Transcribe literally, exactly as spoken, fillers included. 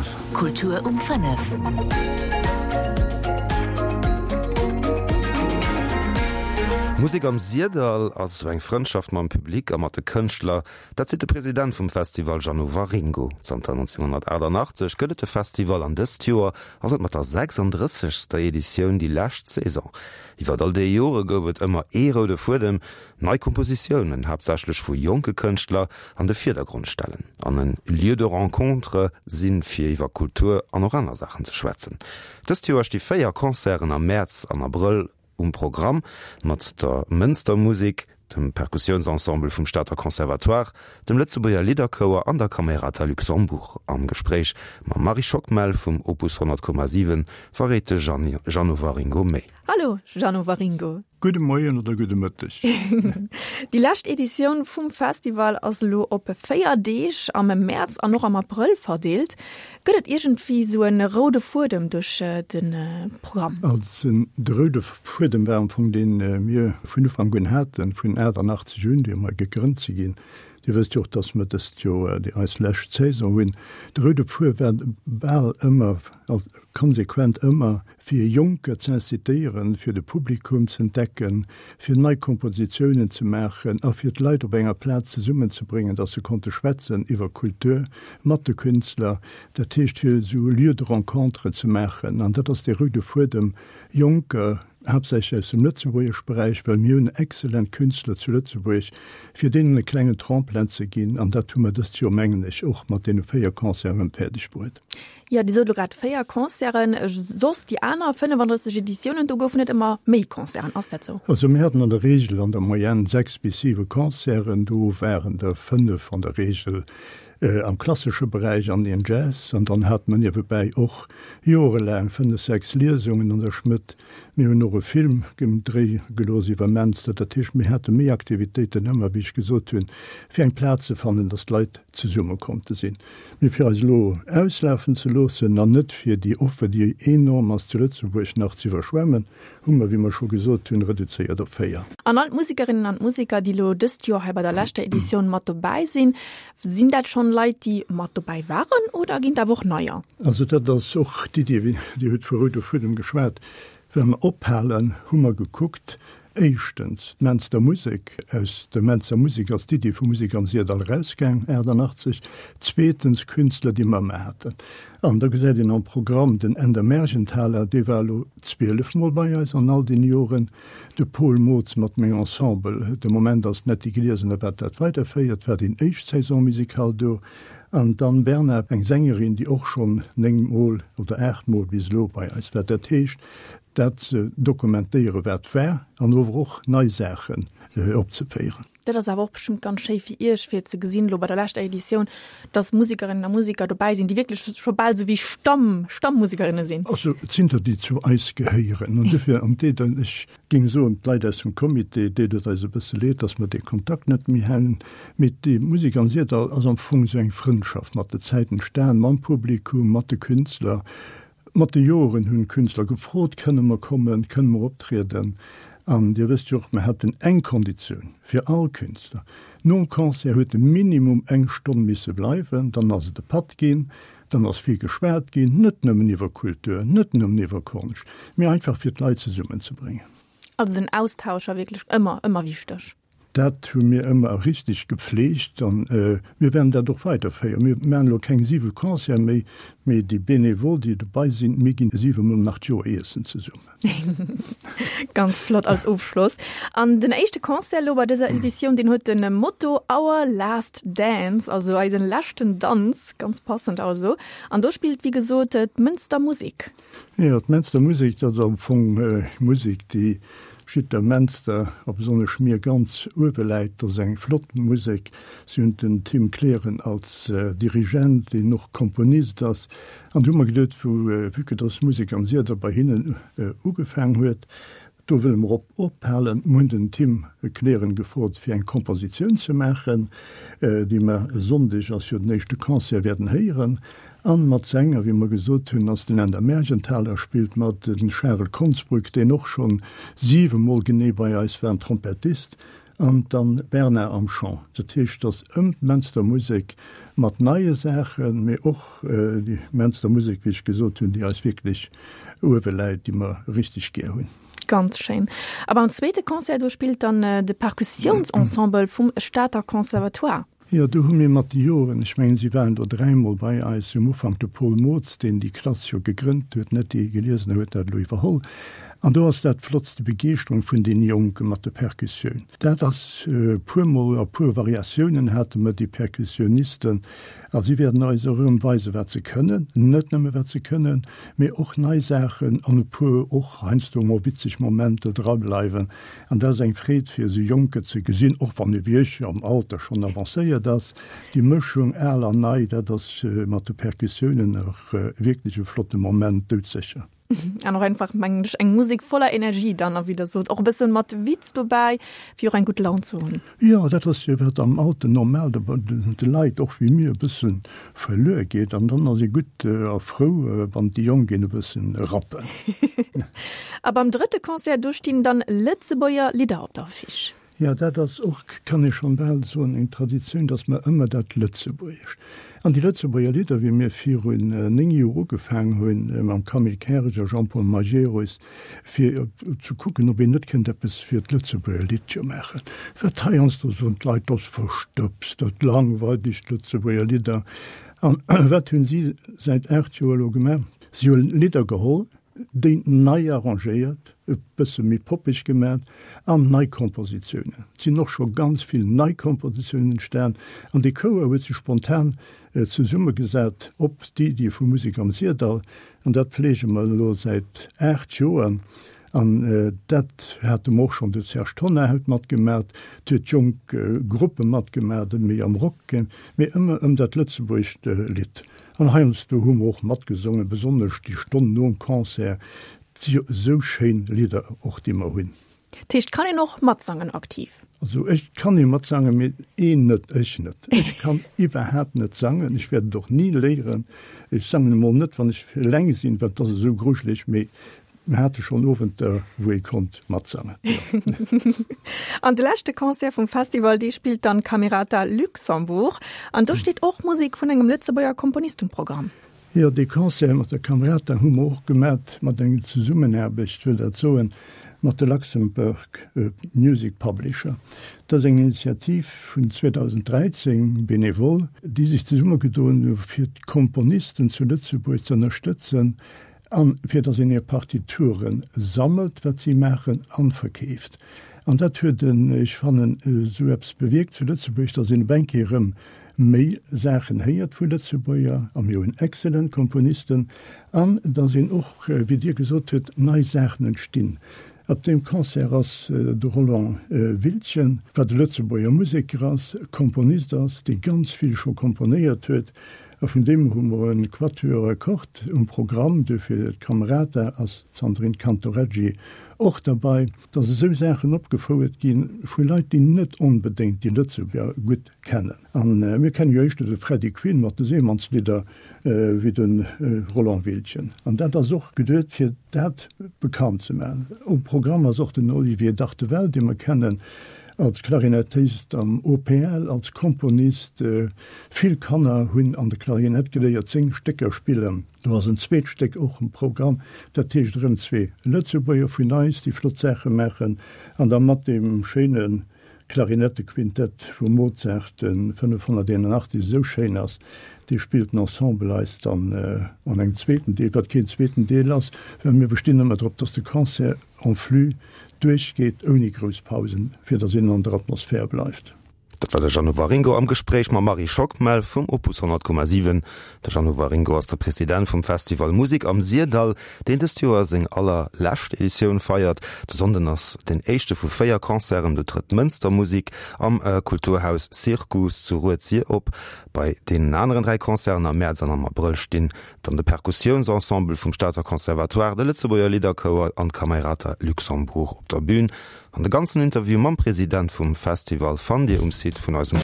fënnef. Kultur um fënnef. Musek am Syrdall ass esou eng Frëndschaft mam Public a mat de Kënschtler. Dat seet de President vum Festival Jeannot Waringo. Zanter nonzénghonnertaachtanachtzeg gëtt et de Festival an dëst Joer ass et mat der sechsanddrëssegster Editioun déi lescht Saison. Iwwer all déi Jore gouf et ëmmer ee roude Fuedem, nei Kompositiounen, haaptsächlech vu jonke Kënschtler, an de Virdergrond stellen an en Lieu de rencontre sinn, fir iwwer Kultur an och aner Saachen ze schwätzen. Dëst Joer sti véier Concerten am Mäerz an Abrëll um Programm, mat der Mënster Musek, dem Perkussiounsensemble vum Stater Conservatoire, dem Lëtzebuerger Lidderchouer an der Camerata Luxembourg. Am Gespréich mam Marie Schockmel vum Opus honnert Komma siwen verréit de Jeannot Waringo méi. Hallo Jeannot Waringo. Gudde Moien oder gudde Mëtteg. Déi lescht Editioun vum Festival ass elo op véier Deeg am Mäerz an och am Abrëll verdeelt. Gëtt et iergendwéi sou e roude Fuedem duerch de Programm? Also de roude Fuedem war am Fong deen mir vun Ufank un haten, vun achtannachtzeg un, wéi mer gegrënnt si ginn. Dir wësst jo och, dass mer dëst Joer déi eis lescht Saison hunn. De roude Fuer war bal ëmmer, konsequent ëmmer, fir Jonker ze incitéieren, fir de Publikum ze entdecken, fir nei Kompositiounen ze maachen a fir d'Leit op enger Plaz zesummenzebréngen, dass se konnte schwätzen iwwer Kultur mat de Künstler. Dat heescht, fir esou Lieux de rencontre ze maachen. An dat ass dee roude Fuedem, Jonker, haaptsächlech aus dem lëtzebuergesch Beräich, well mir hunn exzellent Künstler zu Lëtzebuerg, fir deenen e klengen Tremplin ze ginn. An dat hu mer dëst Joer, mengen ech, och mat deene véier Concerten fäerdeg bruet. Jo, Dir sot elo grad véier Concerten. Soss déi aner fënnefandrësseg Editiounen, do goufen et ëmmer méi Concerten. Ass dat sou? Also mir haten an der Regel, an der Moyenne sechs bis siwe Concerten. Do waren der fënnef an der Regel am klassesche Beräich an een Jazz. An dann hate mer niewebäi och jorelaang fënnef, sechs Liesungen an der Schmëdd. Mir hunn och e Film dréi gelooss iwwer Menster. Dat heescht, mir hate méi Aktivitéiten ëmmer, wéi ech gesot hunn, fir eng Plaz ze fannen, datt d'Leit zesumme konnte sinn. Mee fir eis elo auslafen ze loossen an net fir déi Offer, déi enorm ass zu Lëtzebuerg, nach ze iwwerschwemmen, hu mer, wéi mer scho gesot hunn, reduzéiert op véier. An all d'Musikerinnen an d'Musiker, déi elo dëst Joer hei bei der leschter Editioun mat dobäi sinn, sinn dat schonn Leit, déi mat dobäi waren oder ginn et awer och neier? Also dat ass och d'Iddi, Dir hutt vu roude Fuedem geschwat, Well mer ophalen, hu mer gekuckt, éischtens d'Menster Musek, aus der Menster Musek ass d'Iddi vu Musek am Syrdall erausgaang, achtannachtzeg, zweetens Künstler, déi mer ëmmer haten. An da gesäit een am Programm den Änder Mergenthaler, dee war elo zwielef Mol bei eis an all deene Joren, de Paul Mootz mat mengem Ensemble, de Moment ass d'Netty Glesener, wat dat weiderféiert, war déi éischt Saison musicale do, an d'Anne Bernard, eng Sängerin, déi och schonn néng Mol oder aacht Mol bis elo bei eis war. Dat heescht, dat ze dokumentéieren, wat war, an ower och nei Saachen opzeféieren. Dat ass awer och bestëmmt ganz schéi fir Iech, fir ze gesinn, elo bei der leschter Editioun, dass Musikerinnen a Musiker dobäi sinn, déi wierklech scho bal esou wéi Stamm, Stammmusikerinne sinn. Also, et sinn der, déi zu eis gehéieren. An dofir, an deet, ech géing soen, d'Leit aus dem Comité, deet et eis e bësse leed, dass mer dee Kontakt net méi hunn. Mee déi Musek am Syrdall ass am Fong esou eng Frëndschaft mat der Zäit entstan, mam Publikum, mat de Künstler. Mat de Joren hunn d'Künstler gefrot, Kënne mer kommen, kënne mer optrieden? An Dir wësst jo och, mer haten eng Konditioun fir all Künstler, Nom Concert huet e minimum eng Stonn misse bleiwen, dann ass et e Patt ginn, dann ass vill geschwat ginn, net nëmmen iwwer Kultur, net nëmmen iwwer Konscht, mee einfach fir d'Leit zesummenzebréngen. Also den Austausch war wierklech ëmmer, ëmmer wichteg. Dat hu mir ëmmer richteg gepflegt an mir wäerten dat och weiderféieren. Mir maachen elo keng siwe Concerte méi, mee déi Bénévoles, déi dobei sinn, mir ginn siwe Mol nach d'Joer iessen zesummen. Ganz flott als Ofschloss. An den éischte Concert elo bei dëser Editioun, deen huet de Motto Our Last Dance, also eisen leschten Danz, ganz passend also. An do spillt wéi gesot d'Mënster Musek. Jo, d'Menster Musek, dat ass am Fong Musek, déi Jiddwer Menster, a besonnesch mir, ganz uewe läit. Dat ass eng flott Musek. Si hunn den Tim Kleren als Dirigent, deen och Komponist ass. An du hu mer geduet, vue que dass d'Musek am Syrdall bei hinnen ugefaang huet, do wëlle mer op ophalen. Mir hunn den Tim Kleren gefrot, fir eng Kompositioun ze maachen, déi mer e Sonndeg, ass jo den éischte Concert, wäerten héieren. An mat Sänger, wéi mer gesot hunn, ass den Änder Mergenthaler spillt mat, den Charel Konsbrück, deen och schonn siwe Mol genee bei eis war, en Trompettist, an d'Anne Bernard am Chant. Dat heescht, dass ëm d'Menster Musek mat neie Saachen, mee och déi Menster Musek, wéi ech gesot hunn, déi eis wierklech uewe läit, déi mer richteg gär hunn. Ganz schéin. A beim zweete Concert, do spillt dann de Perkussiounsensemble vum Stater Conservatoire. Jo, do hu mir mat de Joren, ech mengen, si waren do dräimol bei eis, um Ufank de Paul Mootz, deen déi Klass jo gegrënnt huet, net déi Geliesener huet dat elo iwwerholl. An do ass dat flottst, déi Begeeschterung vun deene Jonke mat de Perkussioun. Dat ass e puermol, a puer Variatiounen hate mer déi Perkussionisten. A si wäerten eis och erëm weisen, wat se kënnen, net nëmme wat se kënnen, mee och nei Saachen an e puer och heiansdo emol witzeg Momenter drableiwen. An dat ass eng Freed fir esou Jonker ze gesinn, och wann e wéi ech am Alter schonn avancéiert ass. Déi Mëschung al an nei, dat ass mat de Perkussiounen och wierklech e flotte Moment, doudsécher. An och einfach, mengen ech, eng Musek voller Energie dann, a wéi Der sot, och e bëssen mat Witz dobäi, fir och eng gutt Laun ze hunn. Jo, dat ass jo wat am Alter normal de, de Leit, och wéi mir, e bëssen verluer geet. An dann ass ee gutt a frou, wann déi Jonk een e bëssen rappen. A beim drëtte Concert, do stinn dann Lëtzebuerger Lidder op der Affiche. Jo, dat ass och, kann ee schonn bal soen, eng Traditioun, datt mer ëmmer dat Lëtzebuergescht an déi Lëtzebuerger Lidder, wéi mir virun néng Joer ugefaang hunn mam Camille Kerg a Jean-Paul Majerus, fir ze kucken, ob een net kënnt eppes fir d'Lëtzebuerger Liddche maachen. Wat heiansdo soen d'Leit, dat ass verstëbst, dat langweilt iech, d'Lëtzebuerger Lidder. An wat hunn si säit aacht Joer elo gemaach? Si hunn Lidder geholl, déi nei arrangéiert, e bësse méi poppeg gemat an nei Kompositiounen. Et sinn och scho ganz vill nei Kompositiounen entstan an dee Chouer huet sech spontan zesummegesat op d'Iddi vu Musek am Syrdall an dat fleege mer elo säit aacht Joer an dat hate mer och schonn, de Serge Tonnar huet matgemat, et huet jonk Gruppe matgemat, méi am Rock, mee ëmmer ëm dat lëtzebuergescht Lidd. An heiansdo hu mer och matgesongen, besonnesch déi Stonn nom Concert. Et si jo esou schéin Lidder och, déi mer hunn. Dat heescht, kann een och matsangen aktiv? Also ech kann ee matsangen, mee een net, ech net. Ech kann iwwerhaapt net sangen, ech wäert et och ni léieren. Ech sangen emol net, wann ech eleng sinn, well et ass esou grujeleg. Mee Mir hate schonn Owenter, wou ee konnt matsangen, jo. An de leschte Concert vum Festival, dee spillt dann Camerata Luxembourg. An do steet och Musek vun engem Lëtzebuerger Komponist um Programm. Jo, dee Concert mat der Camerata hu mer och gemat mat enger Zesummenaarbecht, wëll dat soen, mat de Luxembourg Music Publisher. Dat ass eng Initiativ vun zweedausenddräizéng, benevol, déi sech zesummegedoen hu fir d'Komponisten zu Lëtzebuerg ze ënnerstëtzen, An fir dass een hir Partiture sammelt, wat si maachen, an verkeeft. An dat huet en, ech fannen, esou eppes bewierkt zu Lëtzebuerg, dass een op eng Kéier erëm méi Saachen héiert vu Lëtzebuerger, a mir hunn exzellent Komponisten, an dass een och, wéi Dir gesot huet, nei Saachen entstinn. Op deem Concert ass de Roland Wiltgen, wat e Lëtzebuerger Museker ass, Komponist ass, dee ganz vill scho komponéiert huet, A vun deem hu mer e Quatuor à cordes um Programm, duerfir d'Camerata ass d'Sandrine Cantoreggi och derbei, dass esou Saachen opgefouert gi vu Leit, déi net onbedéngt déi Lëtzebuerger gutt kennen. A mir kenne jo éischter de Freddy Quinn mat de Seemannslidder wéi de Roland Wiltgen. An dat ass och geduet, fir dat bekannt ze maachen. Um Programm ass och den Olivier Dartevelle, dee mer kennen Als Klarinettist am O P L, als Komponist, vill Kanner hunn an der Klarinett geléiert seng Stécker spillen. Do ass en zweet Stéck och um Programm, dat heescht erëm zwee Lëtzebuerger vun eis, déi flott Saache maachen, an da mat deem schéine Klarinettequintett vum Mozart, de fënnefhonnerteenundachtzeg esou schéin ass, dee spillt den Ensemble eis dann an engem zweeten Deel, wat keen zweeten Deel ass, well mir bestinn ëmmer drop, dass de Concert en flux duerchgeet ouni grouss Pausen, fir datt een an der Atmosphär bleift. Dat war de Jeannot Waringo am Gespréich mam Marie Schockmel vum Opus honnert Komma siwen. De Jeannot Waringo ass de President vum Festival Musik am Syrdall, deen dëst Joer seng allerlescht Editioun feiert. De Sonnden ass den éischte vu véier Concerten, do trëtt d'Mënster Musik am Kulturhaus Syrkus zu Rued-Sir op. Bei deenen aneren dräi Concerten am Mäerz an am Abrëll stinn dann de Perkussiounsensemble vum Stater Conservatoire, de Lëtzebuerger Lidderchouer an d'Camerata Luxembourg op der Bün. An de ganzen Interview mam President vum Festival fannt Dir um Site vun eisem.